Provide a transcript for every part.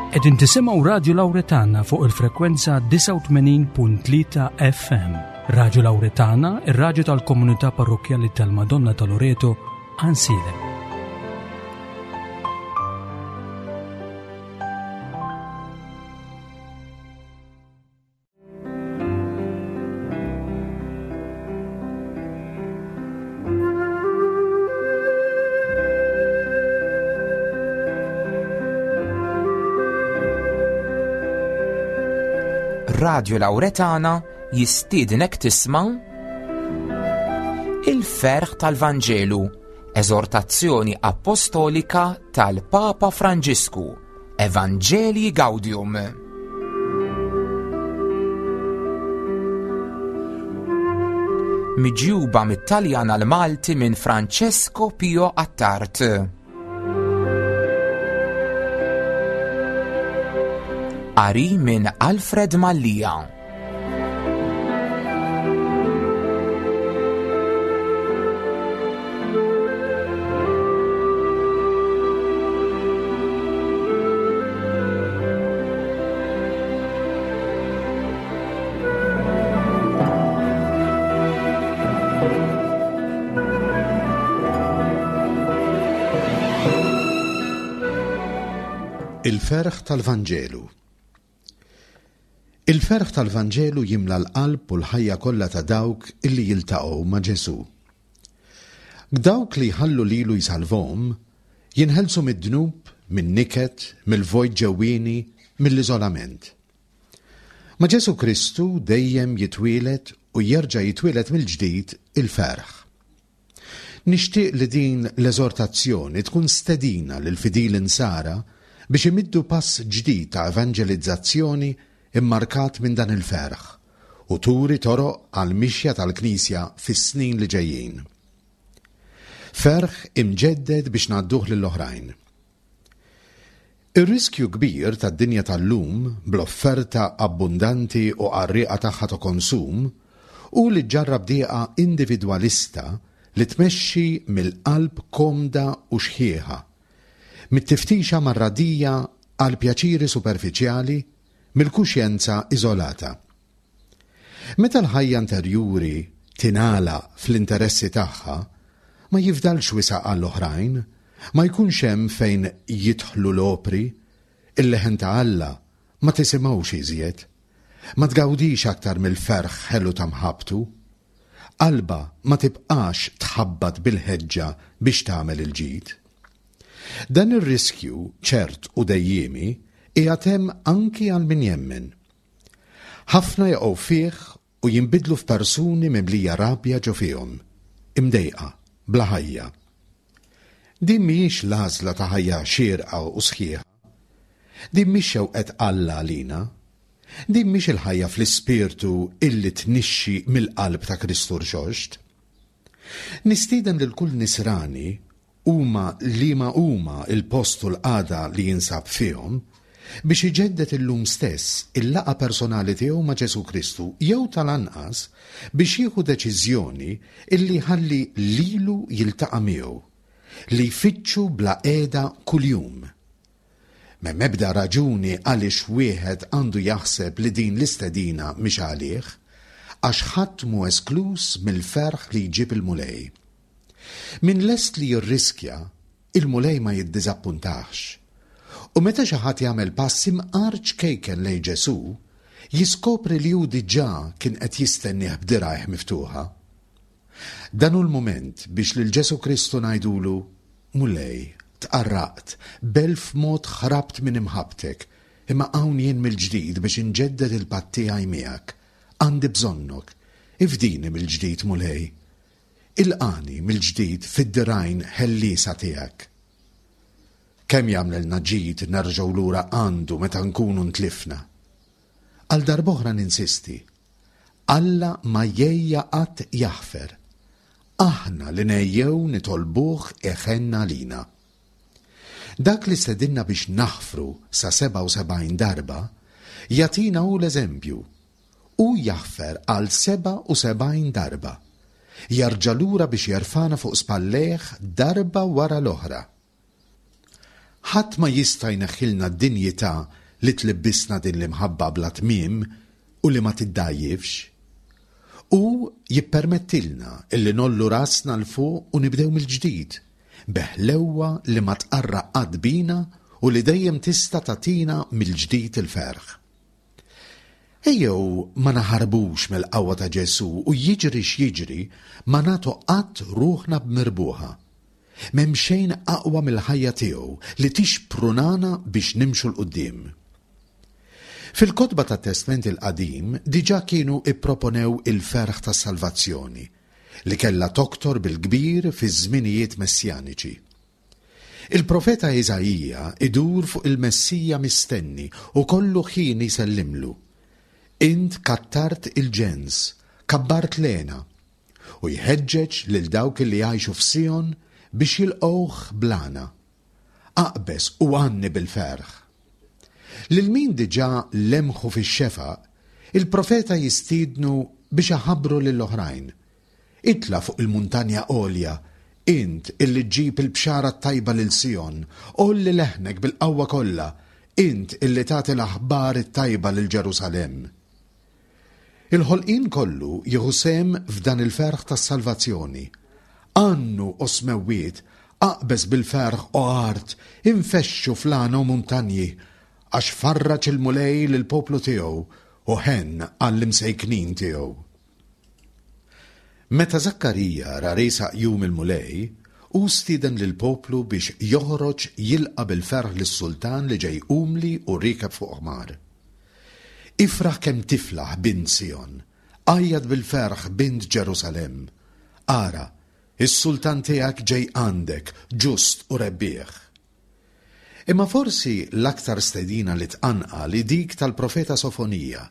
Qegħdin tisimgħu Radju Lawretana fuq il-frekwenza 89.3 FM. Radju Lawretana, ir-radju tal-komunità parrokkjali tal-Madonna ta' Loreto, Ansilem. Radio Lauretana jistiednek tisma' Il-ferħ tal-Vanġelu, eżortazzjoni apostolika tal-Papa Franġisku Evangelii Gaudium. Miġjuba mit-Taljan għal Malti minn Francesco Pio Attard. Qari minn Alfred Mallia. Il-ferħ tal-Vanġelu. Il-ferħ tal-Vanġelu jimla l-qalb u l-ħajja kollha ta' dawk illi jiltaqgħu ma' Ġesù. Dawk li jħallu lilu jsalvhom, jinħelsu mid-dnub, min-niket, mill-vojt ġewwieni, mill-iżolament. Ma' Ġesù Kristu dejjem jitwieled u jerġa' jitwieled mill-ġdid il-ferħ. Nixtieq li din l-eżortazzjoni tkun stedina lill-fidili Nsara biex imiddu pass ġdid ta' evanġelizzazzjoni mmarkat minn dan il-ferħ u turi toroq għall-mixja tal-Knisja fis-snin li ġejjin. Ferħ imġedded biex ngħadduh lill-oħrajn. Ir-riskju kbir tad-dinja tal-lum, bl-offerta abbundanti u qarrieqa tagħha ta' konsum, hu li ġġarrab dieqa individwalista li tmexxi mill-qalb komda u xħiħa, mit-tiftixa marradija għal pjaċiri superfiċjali, mill-kuxjenza iżolata. Meta l-ħajja interjuri tingħalaq fl-interessi tagħha, ma jifdalx wisa' għall-oħrajn, ma jkunx hemm fejn jidħlu l-opri, il-leħen ta' Alla ma tisimgħux iżjed, ma tgawdix aktar mill-ferħ ħelu ta' mħabbtu. Qalbha ma tibqax tħabbat bil-ħeġġa biex tagħmel il-ġid. Dan ir-riskju ċert u dejjiemi qiegħed hemm anki għal min jemmen. Ħafna jaqgħu fih u jinbidlu f'persuni mimlija rabja ġo fihom, imdejqa, bla ħajja. Din mhijiex l-għażla ta' ħajja xierqa u sħiħa. Din mhix xewqet Alla għalina. Din mhix il-ħajja fl-ispirtu illi tnixxi mill-qalb ta' Kristu Rxoxt. Nistieden lil kull Nisrani huma liema huma l-post u l-qagħda li jinsab fihom, biex iġedded illum stess il-laqgħa personali tiegħu ma' Ġesù Kristu jew tal-anqas biex jieħu deċiżjoni illi jħalli lilu jiltaqa' miegħu, li jfittxu bla qiegħda kuljum. M'hemm ebda raġuni għaliex wieħed għandu jaħseb li din l-istedina mhix għalih, għax ħadd mhu eskluż mill-ferħ li jġib il-Mulej. Min lest li jirriskja, il-Mulej ma jiddiżappuntahx. U meta xi ħadd jagħmel pass imqar ċkejken lejn Ġesù, jiskopri li hu diġà kien qed jistennieh b'dirgħajh miftuħa. Dan hu l-mument biex lil Ġesù Kristu ngħidulu, Mulej, tqarraqt, b'elf mod ħrabt minn imħabbtek, imma hawn jien mill-ġdid biex inġedded il-patt tiegħi miegħek. Għandi bżonnok. Ifdini mill-ġdid, Mulej. Ilqagħni mill-ġdid fid-dirgħajn ħelliesa tiegħek. Kemm jagħmlilna ġid nerġgħu lura għandu meta nkunu ntlifna! Għal darb'oħra ninsisti, Alla ma jgħejja qatt jaħfer. Aħna li ngħejjew nitolbuh iħenn għalina. Dak li stedinna biex naħfru sa 77 darba, jagħtina hu l-eżempju Hu jaħfer għal 77 darba. Jerġa' lura biex jerfagħna fuq spallejh darba wara l-oħra. Ħadd ma jista' jneħħilna d-dinjità li tlibbisna din l-imħabba bla tmiem u li ma tiddgħajjifx. Hu jippermettilna illi ngħollu rasna 'l fuq u nibdew mill-ġdid, bi ħlewwa li ma tqarraq qatt bina u li dejjem tista' tagħtina mill-ġdid il-ferħ. Ejjew ma naħarbux mill-qawwa ta' Ġesù u jiġri x'jiġri ma nagħtu qatt ruħna b'mirbuħa. M'hemm xejn aqwa mill-ħajja tiegħu li tixprunana biex nimxu 'l quddiem. Fil-kotba tat-Testment il-Qadim diġà kienu pproponew il-ferħ tas-salvazzjoni, li kellha toktor bil-kbir fiż-żminijiet messjaniċi. Il-profeta Iżaija idur fuq il-Messija mistenni u kollu ħin jsellimlu. Int kattart il-ġens, kabbart l-hena, u jħeġġeġ lil dawk li jgħixu f'Sijon biex jilqgħuh bl-għana. Aqbeż u għanni bil-ferħ. Lil min diġà lemħu fix-xefaq, il-profeta jistiednu biex iħabbru lil oħrajn. Itla' fuq il-muntanja għolja, int illi ġġib il-bxara t-tajba lil Sijon, għolli leħnek bil-qawwa kollha, int illi tagħti l-aħbar it-tajba lil Ġerusalemm. Il-ħolqien kollu jieħu sehem f'dan il-ferħ tas-salvazzjoni. Għannu, o smewwiet, aqbeż bil-ferħ, o art, infexxu fl-għana o muntanji, għax farraġ il-Mulej lill-poplu tiegħu u ħenn għall-imsejknin tiegħu. Meta Żakkarija ra riesaq jum il-Mulej, hu stieden lill-poplu biex joħroġ jilqa' bil-ferħ lis-sultan li ġej umli u riekeb fuq ħmar. Ifraħ kemm tiflaħ, bint Sijon! Għajjat bil-ferħ, bint Ġerusalemm! Ara, is-sultan tiegħek ġej għandek, ġust u rebbieħ. Imma forsi l-aktar stedina li tqanqal hi dik tal-profeta Sofonija,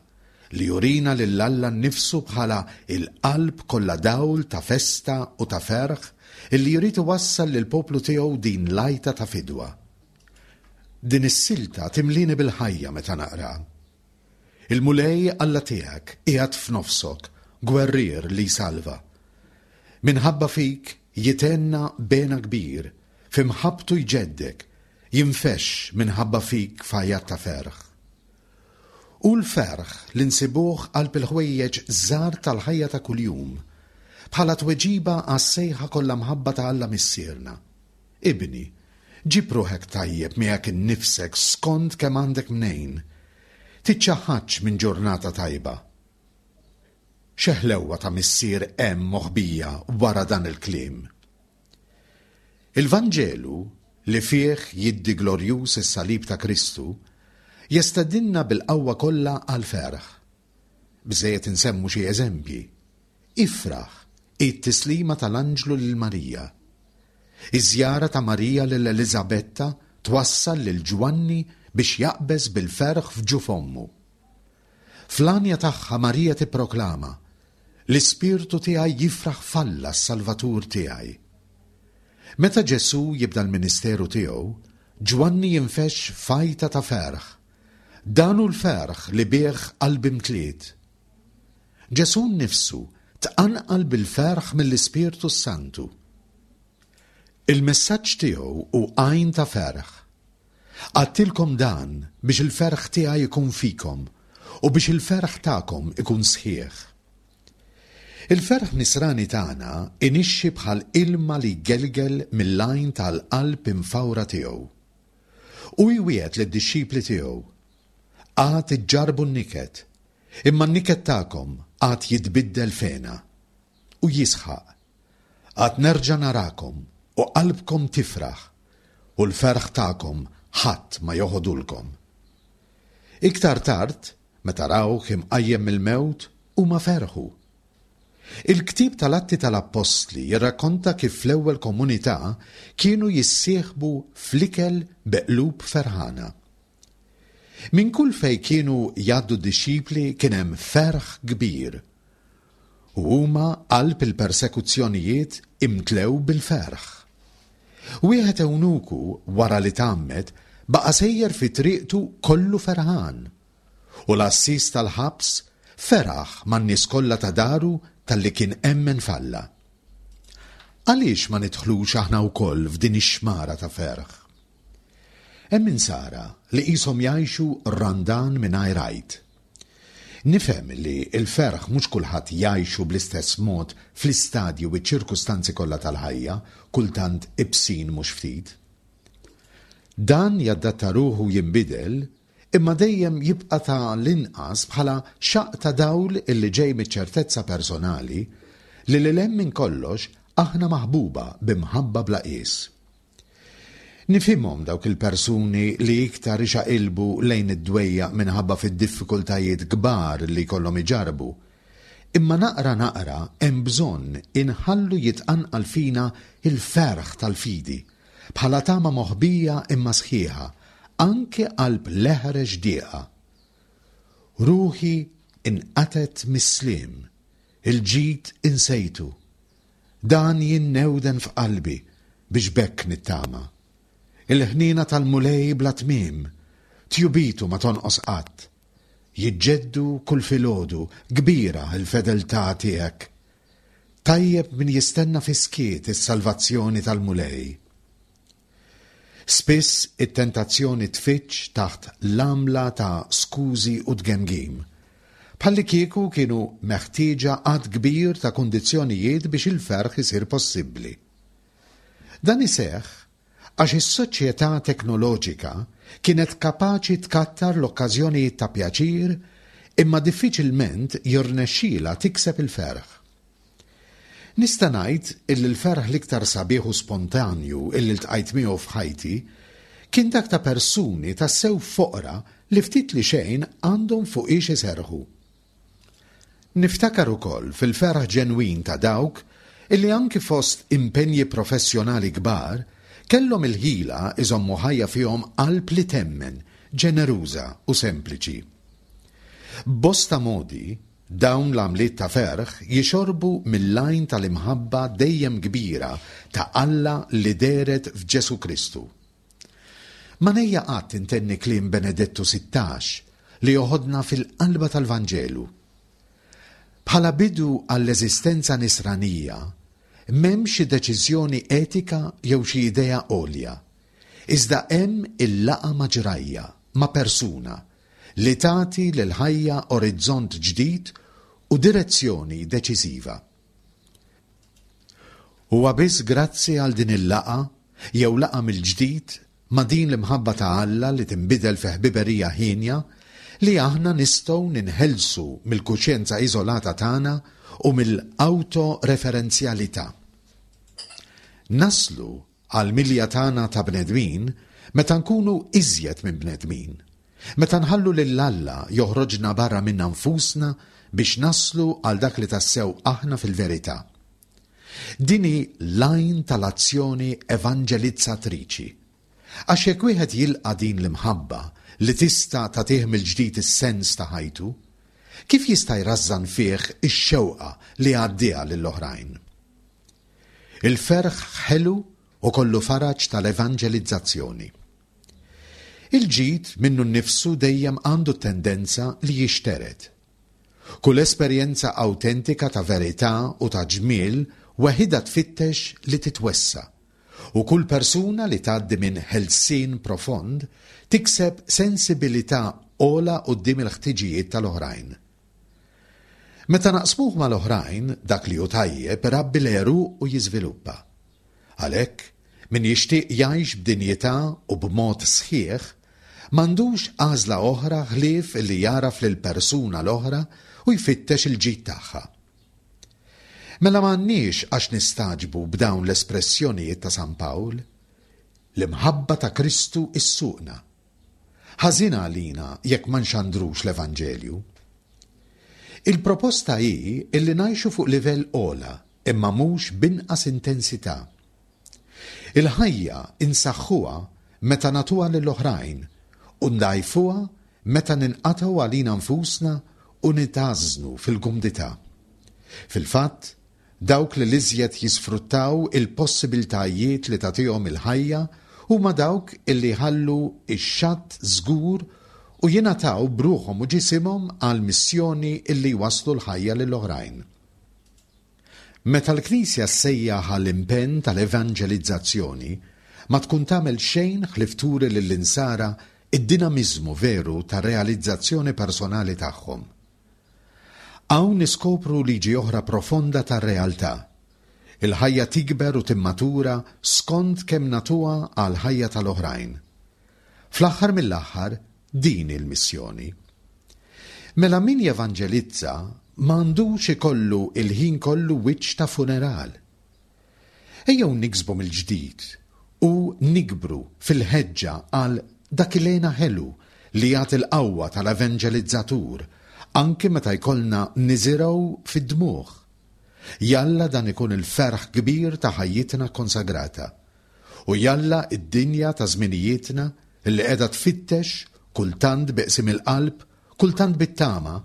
li jurina lil Alla nnifsu bħala l-qalb kollha dawl ta' festa u ta' ferħ illi jrid iwassal lill-poplu tiegħu din l-għajta ta' fidwa. Din is-silta timlieni bil-ħajja meta naqraha. Il-Mulej Alla tiegħek qiegħed f'nofsok, gwerrier li jsalva. Minħabba fik jithenna b'hena kbir, fi mħabbtu jġeddek, jinfexx minħabba fik f'għajat ta' ferħ. Hu l-ferħ li nsibuh qalb il-ħwejjeġ żgħar tal-ħajja ta' kuljum, bħala tweġiba għas-sejħa kollha mħabba ta' Alla Missierna. Ibni, ġib ruħek tajjeb miegħek innifsek skont kemm għandek mnejn. Tiċċaħħadx minn ġurnata tajba. Xi ħlewwa ta' missier hemm moħbija wara dan il-kliem! Il-Vanġelu, li fih jiddi glorjuż is-salib ta' Kristu, jestedinna bil-qawwa kollha għall-ferħ. Biżżejjed insemmu xi eżempji. Ifraħ hi t-tislima tal-anġlu lil Marija. Iż-żjara ta' Marija lil Eliżabetta twassal lil Ġwanni biex jaqbeż bil-ferħ f'ġuf ommu. Fl-għanja tagħha Marija tipproklama, L-ispirtu tiegħi jifraħ f'Alla s-Salvatur tiegħi. Meta Ġesù jibda l-ministeru tiegħu, Ġwanni jinfexx f'għajta ta' ferħ. Dan hu l-ferħ li bih qalbi mtliet. Ġesù nnifsu tqanqal bil-ferħ mill-Ispirtu s-Santu. Il-messaġġ tiegħu hu għajn ta' ferħ. Għadtilkom dan biex il-ferħ tiegħi jkun fikom u biex il-ferħ tagħkom ikun sħiħ. Il-ferħ nisrani tagħna inixxi bħal ilma li jgelgel mill-għajn tal-qalb imfawra tiegħu. Hu jwiegħed lid-dixxipli tiegħu, Għad iġġarrbu n-niket, imma n-niket tagħkom għad jitbiddel f'hena. U jisħaq, Għad nerġa' narakom u qalbkom tifraħ, u l-ferħ tagħkom ħadd ma joħodulkom. Iktar tard, meta rawh imqajjem mill-mewt, huma ferħu. Il-ktieb tal-Atti tal-Appostli jirrakkonta kif fl-ewwel komunità kienu jissieħbu fl-ikel bi qlub ferħana. Minn kull fejn kienu jgħaddu d-dixxipli kien hemm ferħ kbir. U huma qalb il-persekuzzjonijiet imtlew bil-ferħ. Wieħed ewnuku wara li tgħammed baqa' sejjer fi triqtu kollu ferħan. U l-għassies tal-ħabs feraħ man-nies kollha ta' daru talli kien emmen f'Alla. Għaliex ma nidħlux aħna wkoll f'din ix-xmara ta' ferħ? Hemm Insara li qishom jgħixu Randan mingħajr Għid. Nifhem li l-ferħ mhux kulħadd jgħixu bl-istess mod fl-istadji u ċ-ċirkustanzi kollha tal-ħajja, kultant ibsin mhux ftit. Dan jaddatta ruħu u jinbidel, imma dejjem jibqa' ta' l-inqas bħala xaqq ta' dawl illi ġej miċ-ċertezza personali li lil hemm minn kollox aħna maħbuba bi mħabba bla qies. Nifhimhom dawk il-persuni li iktar ixaqilbu lejn id-dwejjaq minħabba fid-diffikultajiet kbar li jkollhom iġarrbu. Imma naqra naqra hemm bżonn inħallu jitqanqal fina l-ferħ tal-fidi, bħala tama moħbija imma sħiħa, anki qalb l-eħrex dieqa. Ruħi inqatgħet mis-sliem, il-ġid insejtu. Dan jinnewden f'qalbi biex b'hekk nittama. Il-ħniena tal-Mulej bla tmiem, tjubitu ma tonqos qatt. Jiġġeddu kull filgħodu, kbira l-fedeltà tiegħek. Tajjeb min jistenna fis-skiet is-salvazzjoni tal-Mulej. Spiss it-tentazzjoni tfiġġ taħt l-għamla ta' skużi u tgemgim. Bħallikieku kienu meħtieġa għadd kbir ta' kundizzjonijiet biex il-ferħ isir possibbli. Dan iseħħ għax is-soċjetà teknoloġika kienet kapaċi tkattar l-okkażjonijiet ta' pjaċir imma diffiċilment jirnexxilha tikseb il-ferħ. Nista' ngħid illi l-ferħ l-iktar sabiħ u spontanju illi ltqajt miegħu f'ħajti kien dak ta' persuni tassew foqra li ftit li xejn għandhom fuqiex iserrħu. Niftakar ukoll fil-ferħ ġenwin ta' dawk illi anki fost impenji professjonali kbar kellhom il-ħila iżommu ħajja fihom qalb li temmen, ġeneruża u sempliċi. B'bosta modi, Dawn l-għamliet ta' ferħ jixorbu mill-għajn tal-imħabba dejjem kbira ta' Alla li dehret f'Ġesù Kristu. Ma ngħejja qatt intenni kliem Benedettu 16 li joħodna fil-qalba tal-Vanġelu. Bħala bidu għall-eżistenza nisranija, m'hemm xi deċiżjoni etika jew xi idea għolja, iżda hemm il-laqgħa ma' ġrajja, ma' persuna, li tagħti lill-ħajja orizzont ġdid u direzzjoni deċiżiva. Huwa biss grazzi għal din il-laqgħa, jew laqgħa mill-ġdid, ma' din l-imħabba ta' Alla li tinbidel fi ħbiberija hienja, li aħna nistgħu ninħelsu mill-kuxjenza iżolata tagħna u mill-awtoreferenzjalità. Naslu Għall-milja tagħna ta' bnedmin, meta nkunu iżjed minn bnedmin. Meta nħallu lil Alla joħroġna barra minna nfusna biex naslu għal dak li tassew aħna fil-verità. Din hi l-għajn tal-azzjoni evanġelizzatriċi. Għax jekk wieħed jilqa' din l-imħabba li tista' tagħtih mill-ġdid is-sens ta' ħajtu, kif jista' jrażżan fih ix-xewqa li jgħaddiha lill-oħrajn? Il-ferħ ħelu u kollu faraġ tal-evanġelizzazzjoni. Il-ġid minnu nnifsu dejjem għandu t-tendenza li jixtered. Kull esperjenza awtentika ta' verità u ta' ġmiel weħidha tfittex li titwessa', u kull persuna li tgħaddi minn ħelsien profond tikseb sensibilità ogħla quddiem il-ħtiġijiet tal-oħrajn. Meta naqsmuh mal-oħrajn, dak li hu tajjeb irabbi l-għeruq u jiżviluppa. Għalhekk, min jixtieq jgħix b'dinjità u b'mod sħiħ, m'għandux għażla oħra ħlief li jagħraf lill-persuna l-oħra u jfittex il-ġid tagħha. Mela m'għandniex għax nistagħġbu b'dawn l-espressjonijiet ta' San Pawl, L-imħabba ta' Kristu ssuqna. Ħażin għalina jekk ma nxandrux l-Evanġelju. Il-proposta hi illi ngħixu fuq livell ogħla imma mhux b'inqas intensità. Il-ħajja insaħħuha meta nagħtuha lill-oħrajn u ndgħajfuha meta ninqatgħu għalina nfusna u nitgħażżnu fil-kumdità. Fil-fatt, Dawk li l-iżjed jisfruttaw il-possibiltajiet li tagħtihom il-ħajja huma dawk illi jħallu x-xatt żgur u jingħataw b'ruħhom u ġisimhom għall-missjoni illi jwasslu l-ħajja lill-oħrajn. Meta l-Knisja ssejjaħ għall-impenn tal-evanġelizzazzjoni, ma tkun tagħmel xejn ħlief turi lill-Insara d-dinamiżmu veru tar-realizzazzjoni personali tagħhom. Hawn niskopru liġi oħra profonda tar-realtà. Il-ħajja tikber u timmatura skont kemm nagħtuha għall-ħajja tal-oħrajn. Fl-aħħar mill-aħħar, din hi l-missjoni. Mela min jevanġelizza ma għandux ikollu l-ħin kollu wiċċ ta' funeral. Ejjew niksbu mill-ġdid u nikbru fil-ħeġġa għal dak il-hena ħelu li jagħti l-qawwa tal-evanġelizzatur anki meta jkollna niżirgħu fid-dmugħ. Jalla dan ikun il-ferħ kbir ta' ħajjitna kkonsagrata. U jalla d-dinja ta' żminijietna li qiegħda tfittex, kultant bi qsim il-qalb, kultant bit-tama,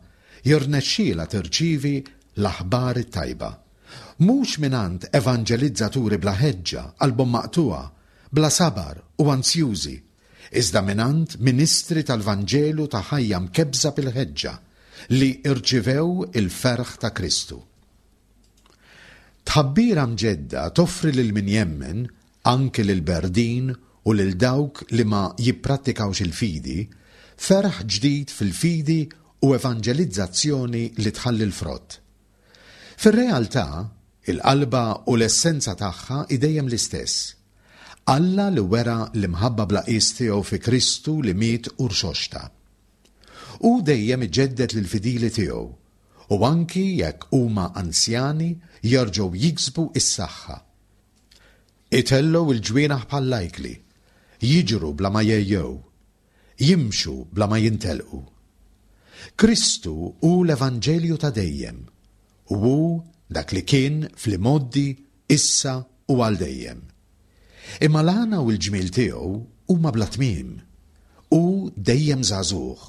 jirnexxielha tirċievi l-aħbar it-tajba. Mhux mingħand evanġelizzaturi bla ħeġġa, qalbhom maqtugħa, bla sabar u anzjużi, iżda mingħand ministri tal-Vanġelu ta' ħajja mkebbsa bil-ħeġġa, li rċivew il-ferħ ta' Kristu. Tħabbira mġedda toffri lil min jemmen, anki lill-berdin u lil dawk li ma jipprattikawx il-fidi, ferħ ġdid fil-fidi u evanġelizzazzjoni li tħalli l-frott. Fir-realtà, il-qalba u l-essenza tagħha hi dejjem l-istess, Alla li wera l-imħabba bla qies tiegħu fi Kristu li miet u rxoxta. Hu dejjem iġedded lill-fidili tiegħu u anki jekk huma anzjani jerġgħu jiksbu s-saħħa. Itellgħu l-ġwienaħ bħall-ajkli, jiġru bla ma jgħejjew, jimxu bla ma jintelqu. Kristu hu l-Evanġelju ta' dejjem, u hu dak li kien fl-imgħoddi, issa u għal dejjem. Imma l-għana u l-ġmiel tiegħu huma bla tmiem. Hu dejjem żagħżugħ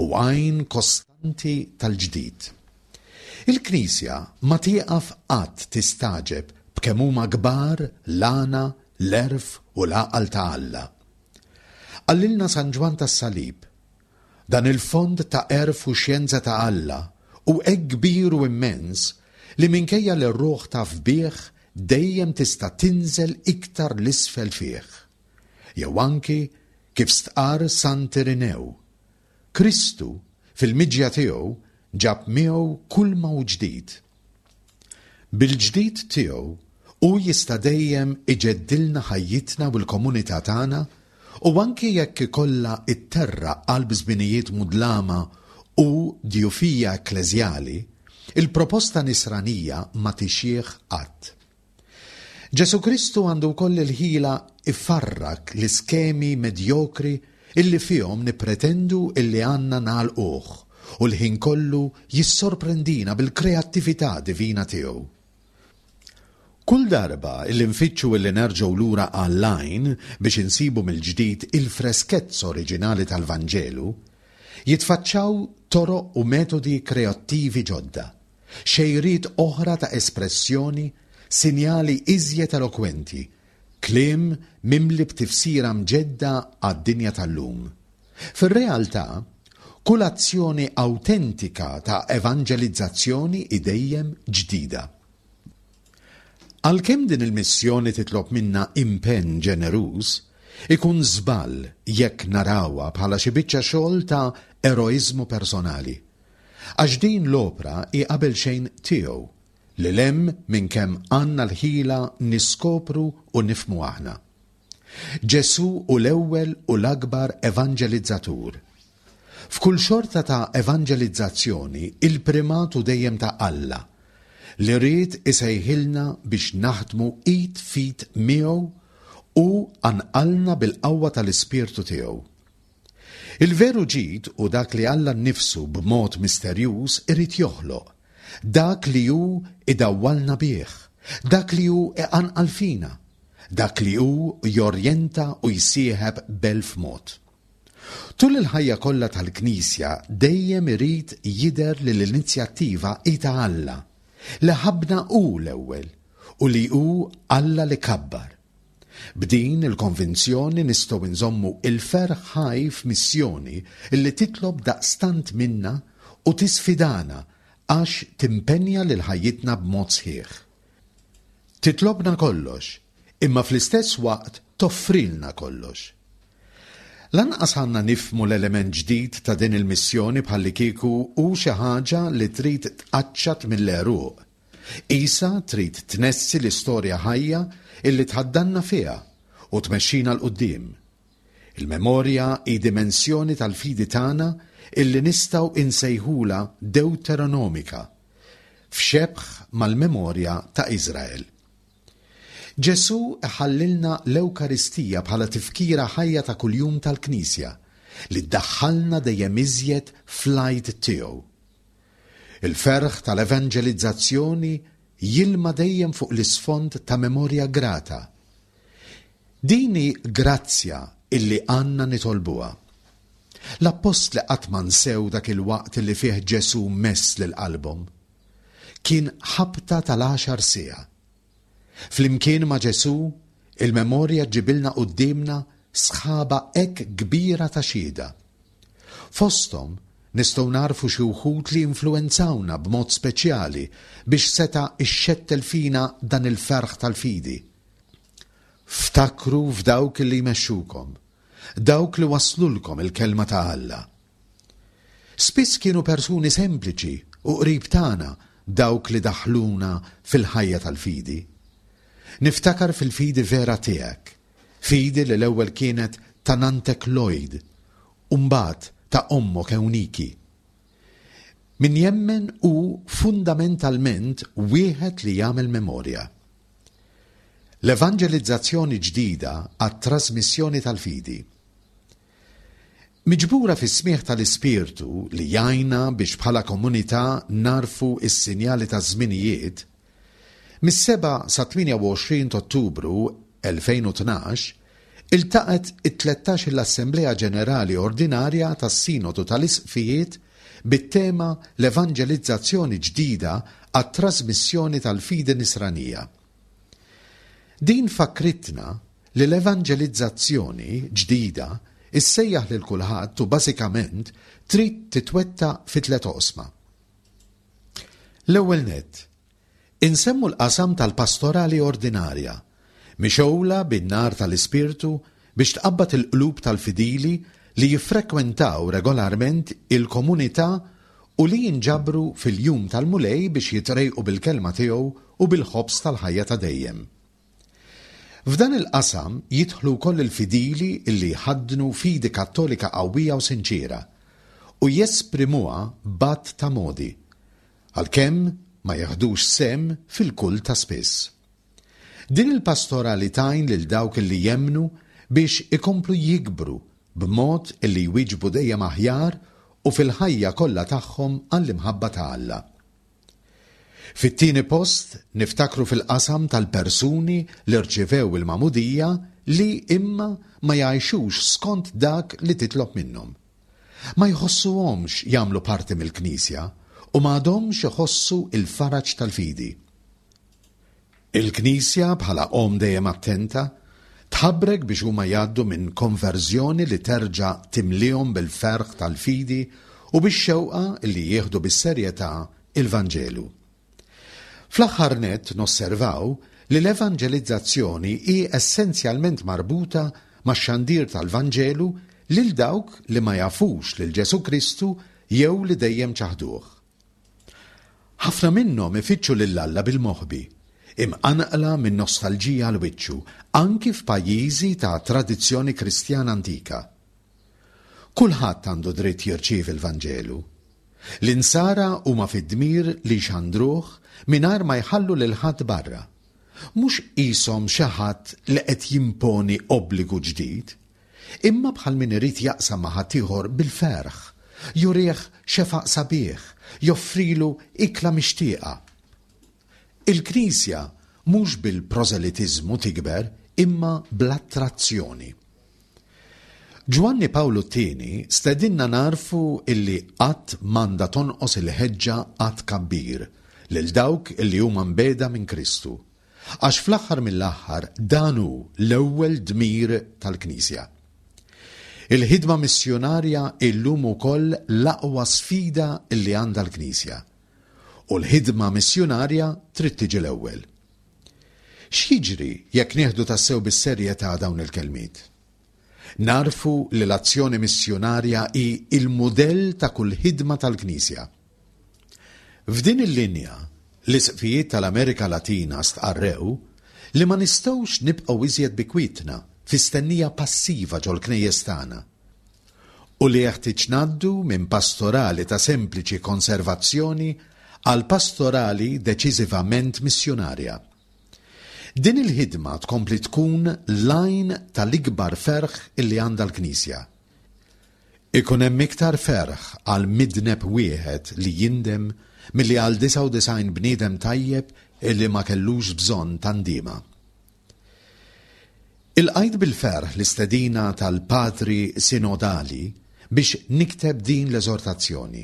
u għajn kostanti tal-ġdid. Il-Knisja ma tieqaf qatt tistagħġeb b'kemm huma kbar l-għana, l-għerf u l-għaqal ta' Alla. Qalilna San Ġwann tas-Salib, Dan il-fond ta' għerf u xjenza ta' Alla hu hekk kbir u immens li minkejja li r-ruħ taf bih dejjem tista' tinżel iktar 'l isfel fih. Jew anki kif stqarr Sant Irinew, Kristu, fil-miġja tiegħu, ġab miegħu kulma hu ġdid. Bil-ġdid tiegħu, hu jista' dejjem iġeddilna ħajjitna u l-komunità tagħna u anki jekk ikollha tterraq qalb żminijiet mudlama u djufija ekkleżjali, il-proposta nisranija ma tixjieħ qatt. Ġesù Kristu għandu wkoll il-ħila jfarrak l-iskemi medjokri illi fihom nippretendu illi għandna nagħlquh u l-ħin kollu jissorprendina bil-kreattività divina tiegħu. Kull darba illi nfittxu illi nerġgħu lura għall-għajn biex insibu mill-ġdid il-freskezza oriġinali tal-Vanġelu, jitfaċċaw toroq u metodi kreattivi ġodda. Xejriet oħra ta' espressjoni, sinjali iżjed elokwenti, kliem mimli b'tifsira mġedda għad-dinja tal-lum. Fir-realtà, kull azzjoni awtentika ta' evanġelizzazzjoni hi dejjem ġdida. Għalkemm din il-missjoni titlob minna impenn ġeneruż, ikun żball jekk narawha bħala xi biċċa xogħol ta' eroiżmu personali. Għax din l-opra hi qabelxejn tiegħu, lil hemm minn kemm għandna l-ħila niskopru u nifhmu aħna. Ġesù hu l-ewwel u l-akbar evanġelizzatur. F'kull xorta ta' evanġelizzazzjoni il-primat hu dejjem ta' Alla, li ried isejħilna biex naħdmu id f'id miegħu u qanqalna bil-qawwa tal-Ispirtu tiegħu. Il-veru ġid hu dak li Alla nnifsu b'mod misterjuż irid joħloq, dak li hu idawwalna bih, dak li hu iqanqal fina, dak li hu jorjenta u jsieħeb b'elf mod. Tul il-ħajja kollha tal-Knisja dejjem irid jidher li l-inizjattiva hi ta' Alla, li ħabbna hu l-ewwel u li hu Alla li kabbar. B'din il-konvinzjoni nistgħu nżommu l-ferħ ħaj f'missjoni li titlob daqstant minna u tisfidana għax timpenja lil ħajjitna b'mod sħiħ. Titlobna kollox, imma fl-istess waqt toffrilna kollox. Lanqas għandna nifhmu l-element ġdid ta' din il-missjoni bħallikieku hu xi ħaġa li trid tqaċċat mill-għeruq. Qisha trid tnessi l-istorja ħajja illi tħaddanna fiha u tmexxina 'l quddiem. Il-memorja hi dimensjoni tal-fidi tagħna illi nistgħu insejħulha dewteronomika, f'xebh mal-memorja ta' Iżrael. Ġesù iħallilna l-Ewkaristija bħala tifkira ħajja ta' kuljum tal-Knisja, li ddaħħalna dejjem iżjed fl-Għid tiegħu. Il-ferħ tal-evanġelizzazzjoni jilma dejjem fuq l-isfond ta' memorja grata. Din hi grazzja illi għandna nitolbuha. L-appostli qatt ma nsew dak il-waqt li fih Ġesù mess lil qalbhom. Kien ħabta tal-għaxar siegħa. Flimkien ma' Ġesù, il-memorja ġġibilna quddiemna sħaba hekk kbira ta' xhieda. Fosthom nistgħu nagħrfu xi wħud li influwenzawna b'mod speċjali biex seta' ixxettel fina dan il-ferħ tal-fidi. Ftakru f'dawk li jmexxukom, dawk li wasslulkom il-Kelma ta' Alla. Spiss kienu persuni sempliċi u qrib tagħna dawk li daħħluna fil-ħajja tal-fidi. Niftakar fil-fidi vera tiegħek, fidi li l-ewwel kienet ta' nanntek Lloyd u mbagħad ta' ommok Euniki. Min jemmen hu fundamentalment wieħed li jagħmel memorja. L-evanġelizzazzjoni ġdida għat-trasmissjoni tal-fidi. Miġbura fis-smigħ tal-Ispirtu li jgħinna biex bħala komunità nagħrfu s-sinjali taż-żminijiet, mis-7 sat-28 t'Ottubru 2012 iltaqgħet it-tlettax-il Assemblea Ġenerali Ordinarja tas-Sinodu tal-Isqfijiet bit-tema L-Evanġelizzazzjoni Ġdida għat-Trasmissjoni tal-Fidi Nisranija. Din fakkritna li l-evanġelizzazzjoni ġdida ssejjaħ lil kulħadd u bażikament trid titwettaq fi tlett oqsma. L-ewwel nett, insemmu l-qasam tal-pastorali ordinarja, mixgħula bin-nar tal-Ispirtu biex tqabbad il-qlub tal-fidili li jiffrekwentaw regolarment il-komunità u li jinġabru fil-jum tal-Mulej biex jitrejqu bil-Kelma tiegħu u bil-ħobż tal-ħajja ta' dejjem. F'dan il-qasam jidħlu wkoll il-fidili li jħaddnu fidi Kattolika qawwija u sinċiera u jesprimuha b'għadd ta' modi, għalkemm ma jiħdux sehem fil-kult ta' spiss. Din il-pastorali tgħin lil dawk li jemmnu biex ikomplu jikbru b'mod li jwieġbu dejjem aħjar u fil-ħajja kollha tagħhom għall-imħabba ta' Alla. Fit-tieni post niftakru fil-qasam tal-persuni li rċivew il-magħmudija li imma ma jgħixux skont dak li titlob minnhom. Ma jħossuhomx jagħmlu parti mill-Knisja u ma għadhomx iħossu l-faraġ tal-fidi. Il-Knisja, bħala omm dejjem attenta, tħabrek biex huma jgħaddu minn konverżjoni li terġa' timliehom bil-ferħ tal-fidi u bix-xewqa li jieħdu bis-serjetà il-Vanġelu. Fl-aħħar nett nosservaw li l-evanġelizzazzjoni hi essenzjalment marbuta max-xandir tal-Vanġelu lil dawk li ma jafux lil Ġesù Kristu jew li dejjem ċaħduh. Ħafna minnhom ifittxu lil Alla bil-moħbi, imqanqla minn nostalġija għal wiċċu, anki f'pajjiżi ta' tradizzjoni Kristjana antika. Kulħadd għandu dritt jirċievi l-Vanġelu. L-Insara huma fid-dmir li jxandruh mingħajr ma jħallu lil ħadd barra. Mhux qishom xi ħadd li qed jimponi obbligu ġdid, Imma bħal min irid jaqsam ma' ħaddieħor bil-ferħ, jurih xefaq sabiħ, joffrilu ikla mixtieqa. Il-Knisja mhux bil-prożelitiżmu tikber imma bl-attrazzjoni. Ġwanni Pawlu t-Tieni stedinna nagħrfu illi qatt m'għandha tonqos il-ħeġġa għat-tkabbir lil dawk illi huma mbiegħda minn Kristu. Għax fl-aħħar mill-aħħar dan hu l-ewwel dmir tal-Knisja. Il-ħidma missjunarja hi llum ukoll l-aqwa sfida li għandha l-Knisja. U l-ħidma missjunarja trid tiġi l-ewwel. X'jiġri jekk nieħdu tassew bis-serjetà dawn il-kelmiet? Nagħrfu li l-azzjoni missjunarja hi l-mudell ta' kull ħidma tal-Knisja. F'din il-linja, l-Isqfijiet tal-Amerika Latina stqarrew li ma nistgħux nibqgħu iżjed bi kwietna fi stennija passiva ġol-knejjes tagħna u li jeħtieġ ngħaddu minn pastorali ta' sempliċi konservazzjoni għal pastorali deċiżivament missjunarja. Din il-ħidma tkompli tkun l-għajn tal-ikbar ferħ illi għandha l-Knisja. Ikun hemm iktar ferħ għal midneb wieħed li jindem milli għal 99 bniedem tajjeb illi ma kellux bżonn ta' ndiema. Ilqajt bil-ferħ l-istedina tal-Padri Sinodali biex nikteb din l-eżortazzjoni.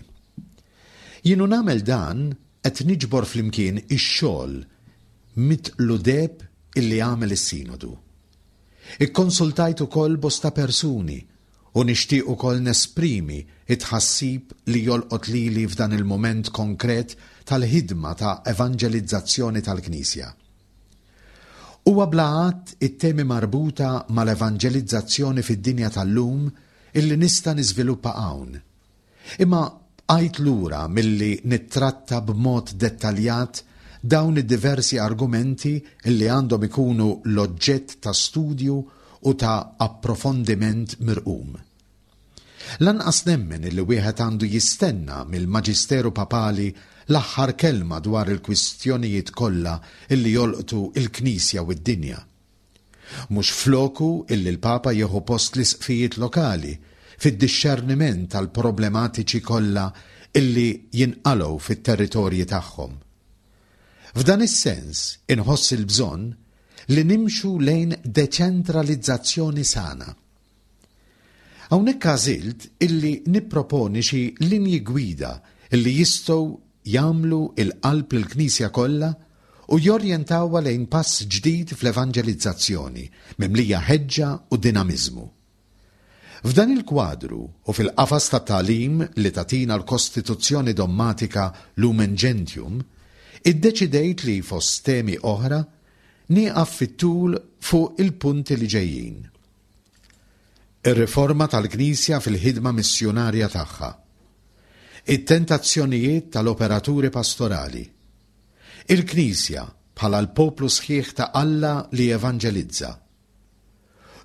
Jien u nagħmel dan qed niġbor flimkien ix-xogħol mitqlu deheb illi għamel is-Sinodu. Ikkonsultajt ukoll bosta persuni u nixtieq ukoll nesprimi t-tħassib li jolqot lili f'dan il-mument konkret tal-ħidma ta' evanġelizzazzjoni tal-Knisja. Huwa bla għadd it-temi marbuta mal-evanġelizzazzjoni fid-dinja tal-lum illi nista' niżviluppa hawn. Imma bqajt lura milli nittratta b'mod dettaljat dawn id-diversi argumenti illi għandhom ikunu l-oġġett ta' studju u ta' approfondiment mirqum. Lanqas nemmen illi wieħed għandu jistenna mill-Maġisteru Papali l-aħħar kelma dwar il-kwistjonijiet kollha illi jolqtu l-Knisja u d-dinja. Mhux floku illi l-Papa jieħu post l-isqfijiet lokali fid-dixxerniment tal-problematiċi kollha illi jinqalgħu fit-territorji tagħhom. F'dan is-sens inħoss il-bżonn li nimxu lejn deċentralizzazzjoni sana. Hawnhekk għażilt illi nipproponi xi linji gwida illi jistgħu jagħmlu l-qalb lill-Knisja kollha u jorjentawha lejn pass ġdid fl-evanġelizzazzjoni mimlija ħeġġa u dinamiżmu. F'dan il-kwadru u fil-qafas tat-tagħlim li tagħtina l-Kostituzzjoni Dommatika Lumen Gentium, iddeċidejt li fost temi oħra nieqaf fit-tul fuq il-punti li ġejjin. Ir-riforma tal-Knisja fil-ħidma missjunarja tagħha. It-tentazzjonijiet tal-operaturi pastorali. Il-Knisja bħala l-poplu sħiħ ta' Alla li jevanġelizza.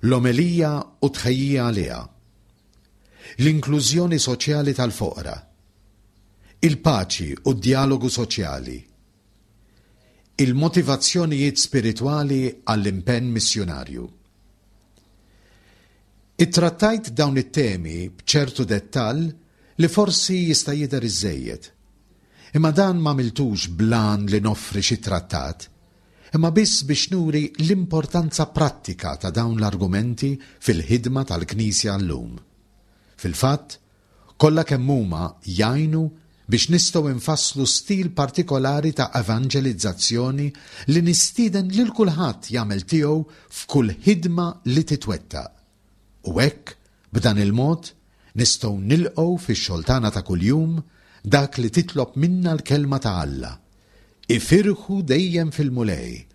L-omelija u t-tħejjija għaliha. L-inklużjoni soċjali tal-foqra. Il-paċi u d-djalogu soċjali. Il-motivazzjonijiet spiritwali għall-impenn missjunarju. Ittrattajt dawn it-temi b'ċertu dettall li forsi jista' jidher iżżejjed. Imma dan m'għamiltux bl-għan li noffri xi trattat, imma biss biex nuri l-importanza prattika ta' dawn l-argumenti fil-ħidma tal-Knisja llum. Fil-fatt, Kollha kemm huma jgħinu biex nistgħu nfasslu stil partikolari ta' evanġelizzazzjoni li nistieden lil kulħadd jagħmel tiegħu f'kull ħidma li titwettaq. U hekk, b'dan il-mod, nistgħu nilqgħu fix-xogħol tagħna ta' kuljum dak li titlob minna l-Kelma ta' Alla, Ifirħu dejjem fil-Mulej.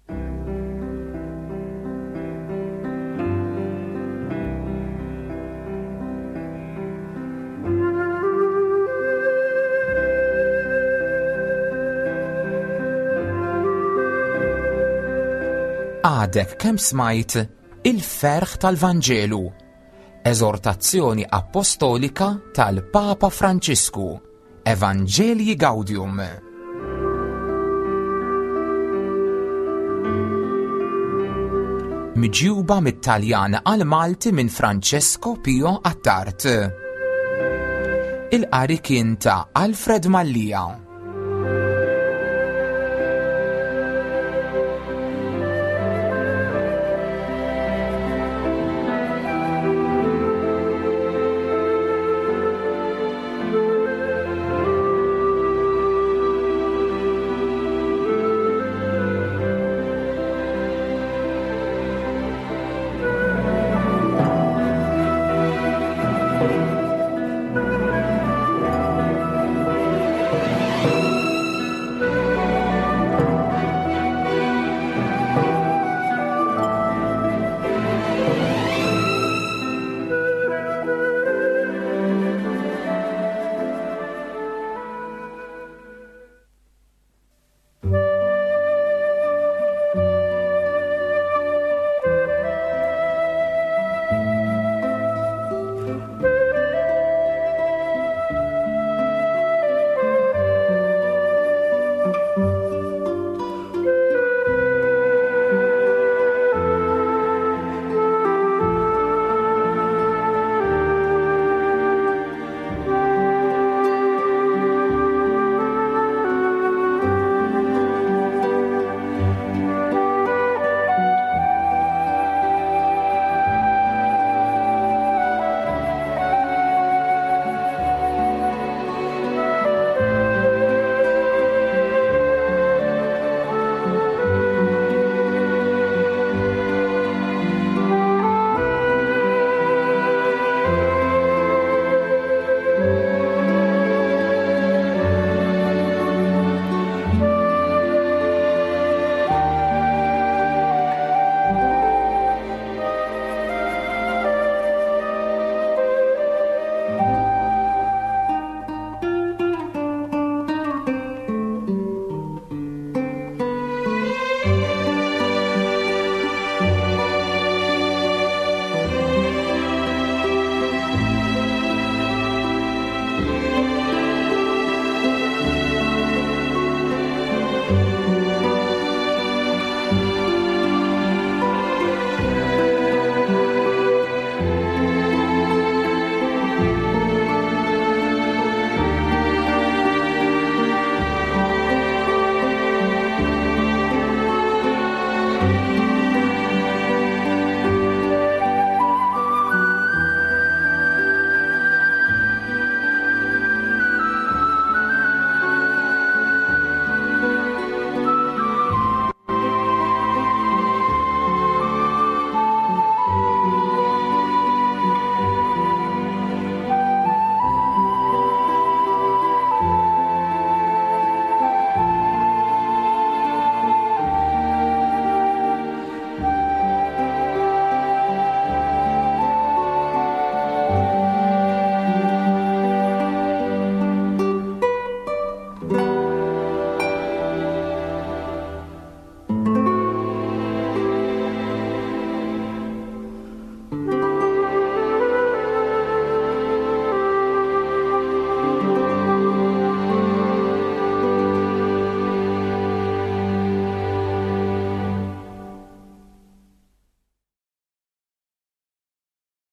Għadek kemm smajt il-ferħ tal-Vanġelu, eżortazzjoni appostolika tal-Papa Franċisku. Evangelii Gaudium. Miġjuba mit-Taljan għal Malti minn Francesco Pio Attard. Il-qari kien ta' Alfred Mallia.